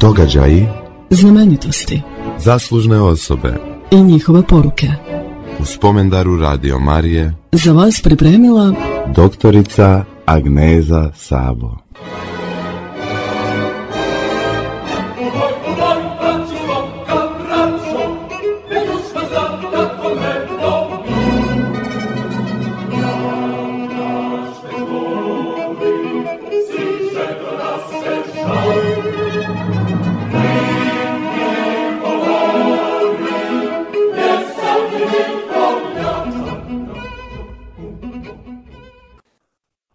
Događaji, znamenitosti, zaslužne osobe i njihove poruke. U spomendaru Radio Marije Za vas pripremila doktorica Agneza Sabo.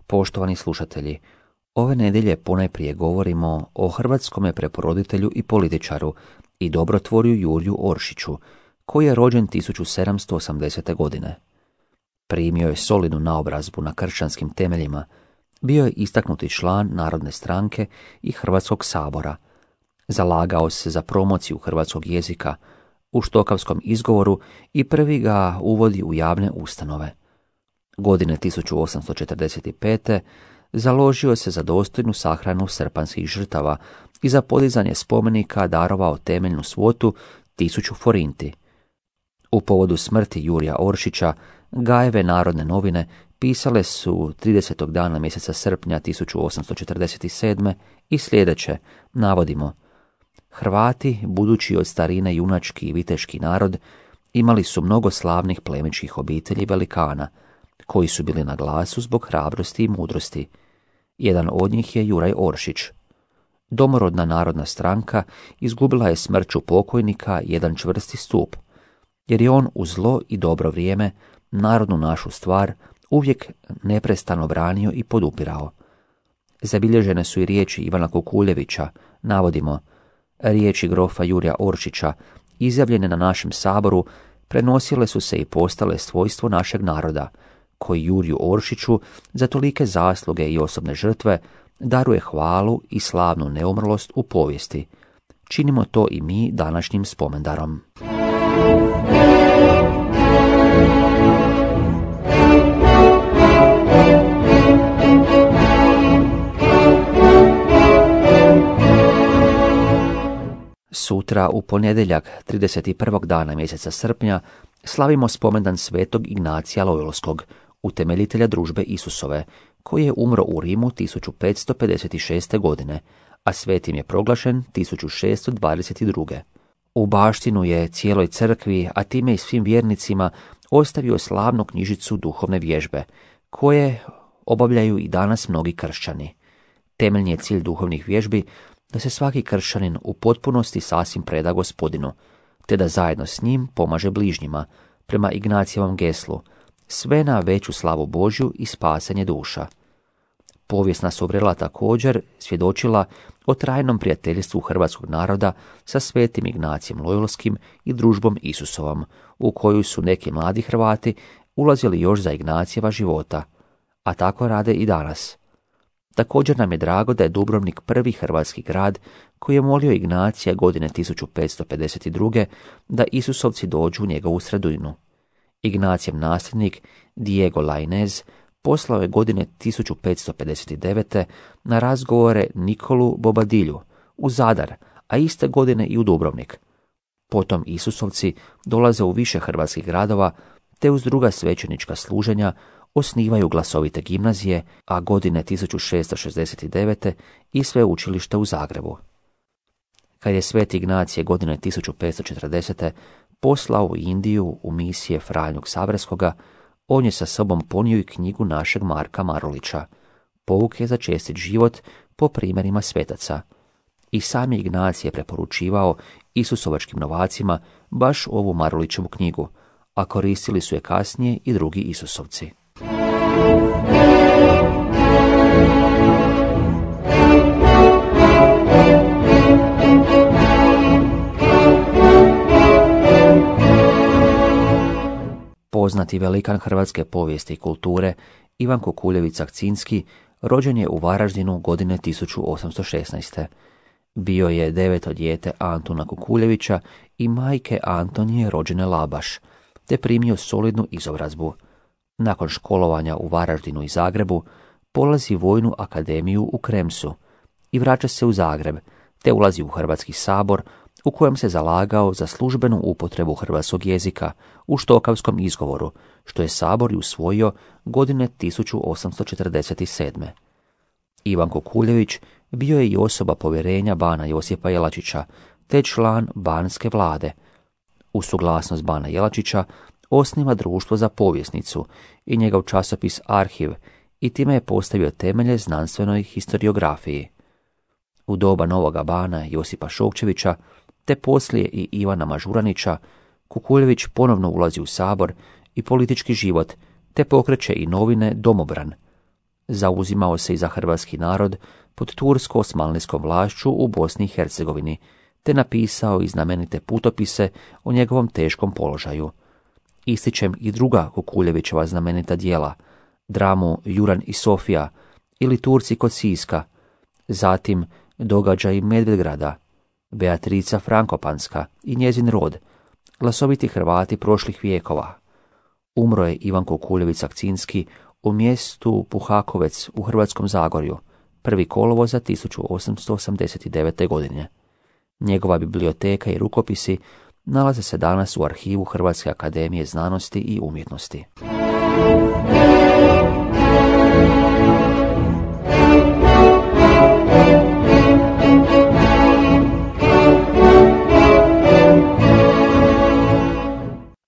Poštovani slušatelji, ove nedjelje ponajprije govorimo o hrvatskome preporoditelju i političaru i dobrotvorju Jurju Oršiću, koji je rođen 1780. godine. Primio je solidnu naobrazbu na kršćanskim temeljima, bio je istaknuti član Narodne stranke i Hrvatskog sabora. Zalagao se za promociju hrvatskog jezika u štokavskom izgovoru i prvi ga uvodi u javne ustanove. Godine 1845. založio se za dostojnu sahranu srpanskih žrtava i za podizanje spomenika darovao temeljnu svotu 1000 forinti. U povodu smrti Jurja Oršića, Gajeve Narodne novine pisale su 30. dana mjeseca srpnja 1847. i sljedeće, navodimo: Hrvati, budući od starine junački i viteški narod, imali su mnogo slavnih plemičkih obitelji velikana, koji su bili na glasu zbog hrabrosti i mudrosti. Jedan od njih je Juraj Oršić. Domorodna Narodna stranka izgubila je smrću pokojnika jedan čvrsti stup, jer je on u zlo i dobro vrijeme narodnu našu stvar uvijek neprestano branio i podupirao. Zabilježene su i riječi Ivana Kukuljevića, navodimo: riječi grofa Jurja Oršića, izjavljene na našem saboru, prenosile su se i postale svojstvo našeg naroda, koji Jurju Oršiću za tolike zasluge i osobne žrtve daruje hvalu i slavnu neumrlost u povijesti. Činimo to i mi današnjim spomendarom. Sutra, u ponedjeljak 31. dana mjeseca srpnja, slavimo spomendan svetog Ignacija Lojolskog, utemeljitelja družbe Isusove, koji je umro u Rimu 1556. godine, a svetim je proglašen 1622. U baštinu je cijeloj crkvi, a time i svim vjernicima, ostavio slavnu knjižicu duhovne vježbe, koje obavljaju i danas mnogi kršćani. Temeljni je cilj duhovnih vježbi da se svaki kršćanin u potpunosti sasvim preda Gospodinu, te da zajedno s njim pomaže bližnjima, prema Ignacijevom geslu, sve na veću slavu Božju i spasanje duša. Povijesna su vrela također svjedočila o trajnom prijateljstvu hrvatskog naroda sa svetim Ignacijem Lojolskim i družbom Isusovom, u koju su neki mladi Hrvati ulazili još za Ignacijeva života, a tako rade i danas. Također nam je drago da je Dubrovnik prvi hrvatski grad koji je molio Ignacija godine 1552. da Isusovci dođu u njegovu sredinu. Ignacijev nasljednik Diego Lainez poslao je godine 1559. na razgovore Nikolu Bobadilju u Zadar, a iste godine i u Dubrovnik. Potom Isusovci dolaze u više hrvatskih gradova, te uz druga svećenička služenja osnivaju glasovite gimnazije, a godine 1669. i sveučilište u Zagrebu. Kad je sveti Ignacije godine 1540. poslao u Indiju u misije Franju Ksaverskoga, on je sa sobom ponio i knjigu našeg Marka Marulića, Pouke za čestit život po primjerima svetaca. I sam je Ignacije preporučivao Isusovačkim novacima baš ovu Marulićevu knjigu, a koristili su je kasnije i drugi Isusovci. Poznati velikan hrvatske povijesti i kulture Ivan Kukuljević-Sakcinski rođen je u Varaždinu godine 1816. Bio je deveto dijete Antuna Kukuljevića i majke Antonije rođene Labaš, te primio solidnu izobrazbu. Nakon školovanja u Varaždinu i Zagrebu, polazi vojnu akademiju u Kremsu i vraća se u Zagreb, te ulazi u Hrvatski sabor u kojem se zalagao za službenu upotrebu hrvatskog jezika u štokavskom izgovoru, što je sabor i usvojio godine 1847. Ivan Kukuljević bio je i osoba povjerenja bana Josipa Jelačića, te član banske vlade. Uz suglasnost bana Jelačića osniva Društvo za povjesnicu i njegov časopis Arhiv i time je postavio temelje znanstvenoj historiografiji. U doba novoga bana Josipa Šokčevića, te poslije i Ivana Mažuranića, Kukuljević ponovno ulazi u sabor i politički život, te pokreće i novine Domobran. Zauzimao se i za hrvatski narod pod tursko-osmanlijskom vlašću u Bosni i Hercegovini, te napisao i znamenite putopise o njegovom teškom položaju. Ističem i druga Kukuljevićeva znamenita djela, dramu Juran i Sofija ili Turci kod Siska, zatim Događaji Medvedgrada, Beatrica Frankopanska i njezin rod, glasoviti Hrvati prošlih vijekova. Umro je Ivan Kukuljević Sakcinski u mjestu Puhakovec u Hrvatskom Zagorju, 1. kolovoza 1889. godine. Njegova biblioteka i rukopisi nalaze se danas u arhivu Hrvatske akademije znanosti i umjetnosti.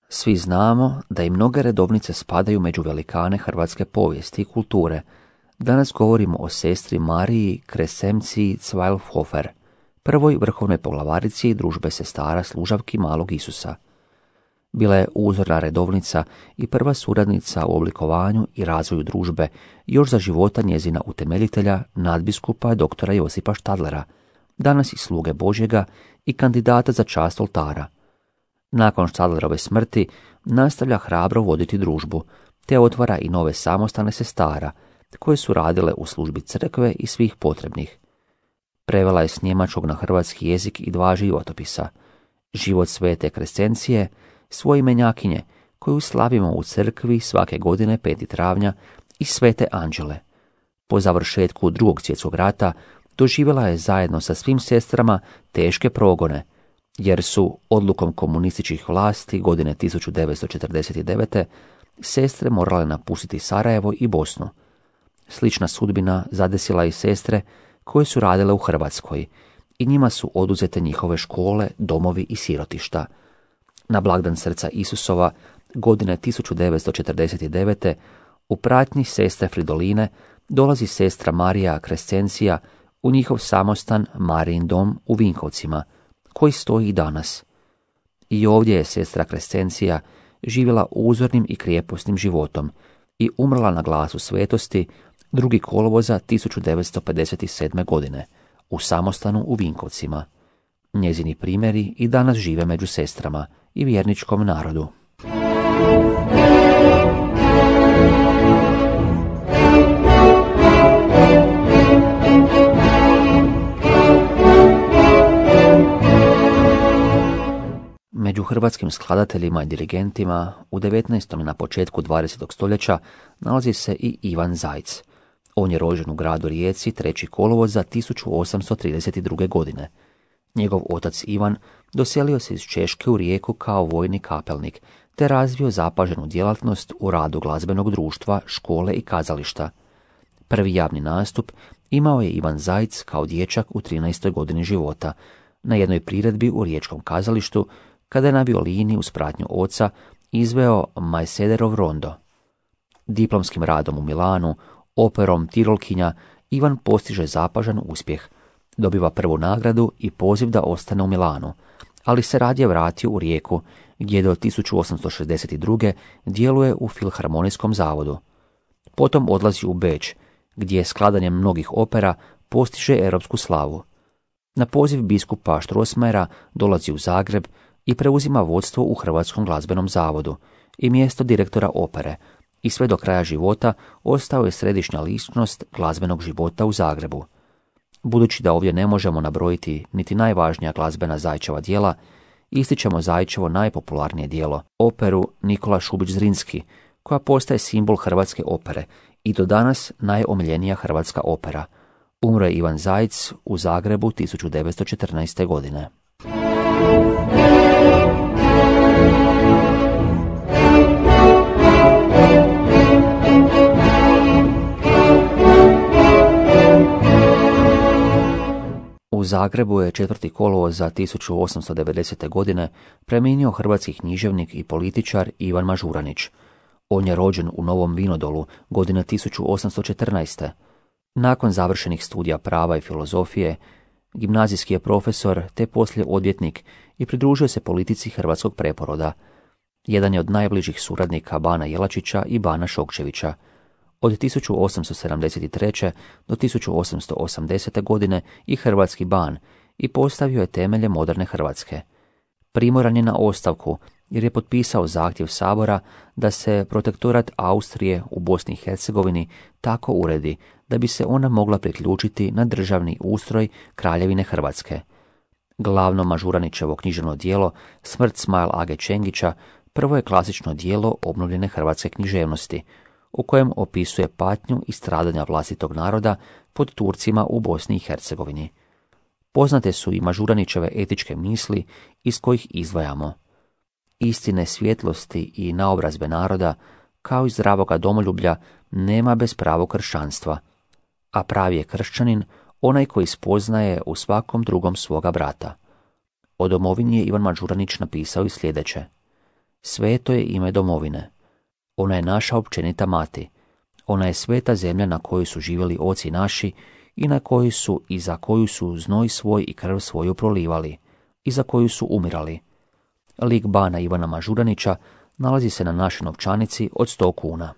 Svi znamo da i mnoge redovnice spadaju među velikane hrvatske povijesti i kulture. Danas govorimo o sestri Mariji Kresemciji Cvajlhofer, prvoj vrhovnoj poglavarici družbe sestara služavki malog Isusa. Bila je uzorna redovnica i prva suradnica u oblikovanju i razvoju družbe još za života njezina utemeljitelja, nadbiskupa doktora Josipa Štadlera, danas i sluge Božjega i kandidata za čast oltara. Nakon Štadlerove smrti nastavlja hrabro voditi družbu, te otvara i nove samostane sestara, koje su radile u službi crkve i svih potrebnih. Prevela je s njemačkog na hrvatski jezik i 2 životopisa, Život svete Krescencije, svoje imenjakinje, koju slavimo u crkvi svake godine 5. travnja, i Svete Anđele. Po završetku 2. svjetskog rata doživjela je zajedno sa svim sestrama teške progone, jer su odlukom komunističkih vlasti godine 1949. sestre morale napustiti Sarajevo i Bosnu. Slična sudbina zadesila i sestre koje su radile u Hrvatskoj i njima su oduzete njihove škole, domovi i sirotišta. Na blagdan Srca Isusova godine 1949. u pratnji sestre Fridoline dolazi sestra Marija Krescencija u njihov samostan Marijin dom u Vinkovcima, koji stoji i danas. I ovdje je sestra Krescencija živjela uzornim i krijeposnim životom i umrla na glasu svetosti 2. kolovoza 1957. godine u samostanu u Vinkovcima. Njezini primjeri i danas žive među sestrama i vjerničkom narodu. Među hrvatskim skladateljima i dirigentima u 19. i na početku 20. stoljeća nalazi se i Ivan Zajc. On je rođen u gradu Rijeci 3. kolovoza 1832. godine. Njegov otac Ivan doselio se iz Češke u Rijeku kao vojni kapelnik, te razvio zapaženu djelatnost u radu glazbenog društva, škole i kazališta. Prvi javni nastup imao je Ivan Zajc kao dječak u 13. godini života, na jednoj priredbi u riječkom kazalištu, kada je na violini uz pratnju oca izveo Majsederov rondo. Diplomskim radom u Milanu, operom Tirolkinja, Ivan postiže zapažan uspjeh. Dobiva prvu nagradu i poziv da ostane u Milanu, ali se radije vratio u Rijeku, gdje do 1862. djeluje u Filharmonijskom zavodu. Potom odlazi u Beč, gdje skladanjem mnogih opera postiže europsku slavu. Na poziv biskupa Strossmayera dolazi u Zagreb i preuzima vodstvo u Hrvatskom glazbenom zavodu i mjesto direktora opere, i sve do kraja života ostao je središnja ličnost glazbenog života u Zagrebu. Budući da ovdje ne možemo nabrojiti niti najvažnija glazbena Zajčeva djela, ističemo Zajčevo najpopularnije djelo, operu Nikola Šubić Zrinski, koja postaje simbol hrvatske opere i do danas najomiljenija hrvatska opera. Umro je Ivan Zajc u Zagrebu 1914. godine. U Zagrebu je 4. kolovoza 1890. godine preminio hrvatski književnik i političar Ivan Mažuranić. On je rođen u Novom Vinodolu godine 1814. Nakon završenih studija prava i filozofije, gimnazijski je profesor te poslije odvjetnik i pridružio se politici hrvatskog preporoda. Jedan je od najbližih suradnika Bana Jelačića i Bana Šokčevića. Od 1873. do 1880. godine i hrvatski ban i postavio je temelje moderne Hrvatske. Primoran je na ostavku jer je potpisao zahtjev Sabora da se protektorat Austrije u Bosni i Hercegovini tako uredi da bi se ona mogla priključiti na državni ustroj Kraljevine Hrvatske. Glavno Mažuranićevo književno djelo Smrt Smail Age Čengića prvo je klasično djelo obnovljene hrvatske književnosti, u kojem opisuje patnju i stradanja vlastitog naroda pod Turcima u Bosni i Hercegovini. Poznate su i Mažuranićeve etičke misli iz kojih izdvajamo: istine, svjetlosti i naobrazbe naroda, kao i zdravoga domoljublja, nema bez pravog kršćanstva, a pravi je kršćanin onaj koji spoznaje u svakom drugom svoga brata. O domovini je Ivan Mažuranić napisao i sljedeće: sveto je ime domovine. Ona je naša općenita mati. Ona je sveta zemlja na kojoj su živjeli oci naši i na kojoj su i za koju su znoj svoj i krv svoju prolivali i za koju su umirali. Lik bana Ivana Mažuranića nalazi se na našoj novčanici od 100 kuna.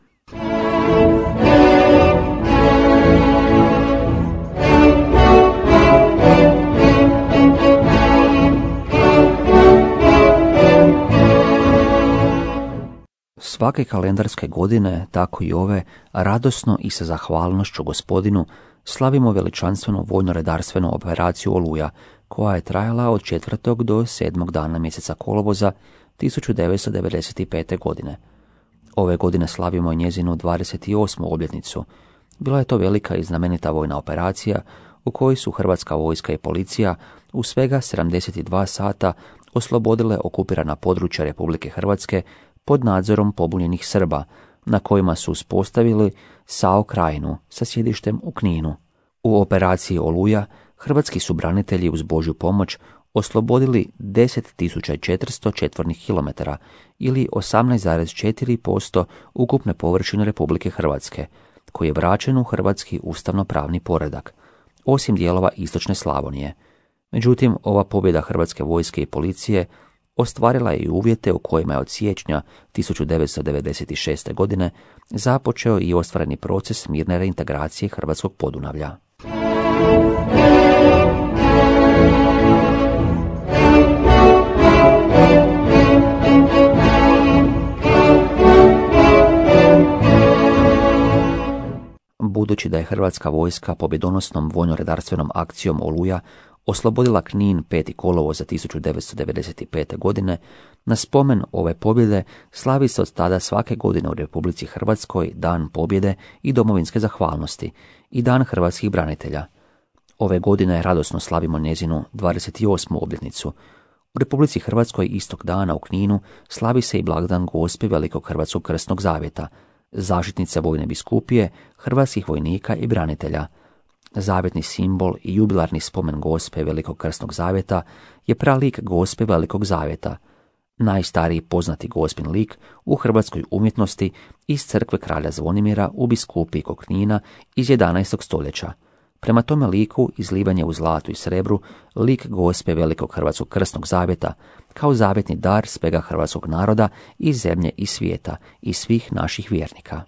Svake kalendarske godine, tako i ove, radosno i sa zahvalnošću Gospodinu slavimo veličanstvenu vojno-redarstvenu operaciju Oluja, koja je trajala od 4. do 7. dana mjeseca kolovoza 1995. godine. Ove godine slavimo njezinu 28. obljetnicu. Bila je to velika i znamenita vojna operacija u kojoj su hrvatska vojska i policija u svega 72 sata oslobodile okupirana područja Republike Hrvatske pod nadzorom pobunjenih Srba, na kojima su uspostavili SAO Krajinu sa sjedištem u Kninu. U operaciji Oluja hrvatski su branitelji uz Božju pomoć oslobodili 10.400 četvornih kilometara ili 18,4% ukupne površine Republike Hrvatske, koji je vraćen u hrvatski ustavno-pravni poredak, osim dijelova istočne Slavonije. Međutim, ova pobjeda hrvatske vojske i policije ostvarila je i uvjete u kojima je od siječnja 1996. godine započeo i ostvareni proces mirne reintegracije hrvatskog Podunavlja. Budući da je hrvatska vojska pobjedonosnom vojno-redarstvenom akcijom Oluja oslobodila Knin 5. kolovoza 1995. godine, na spomen ove pobjede slavi se od tada svake godine u Republici Hrvatskoj Dan pobjede i domovinske zahvalnosti i Dan hrvatskih branitelja. Ove godine radosno slavimo njezinu 28. obljetnicu. U Republici Hrvatskoj istog dana u Kninu slavi se i blagdan Gospe Velikog Hrvatskog Krsnog Zavjeta, zaštitnice vojne biskupije, hrvatskih vojnika i branitelja. Zavjetni simbol i jubilarni spomen Gospe Velikog Krsnog Zavjeta je pralik Gospe Velikog Zavjeta, najstariji poznati Gospin lik u hrvatskoj umjetnosti iz crkve kralja Zvonimira u biskupiji kod Knina iz 11. stoljeća. Prema tome liku izlivan je u zlatu i srebru lik Gospe Velikog Hrvatskog Krsnog Zavjeta kao zavjetni dar svega hrvatskog naroda i zemlje i svijeta i svih naših vjernika.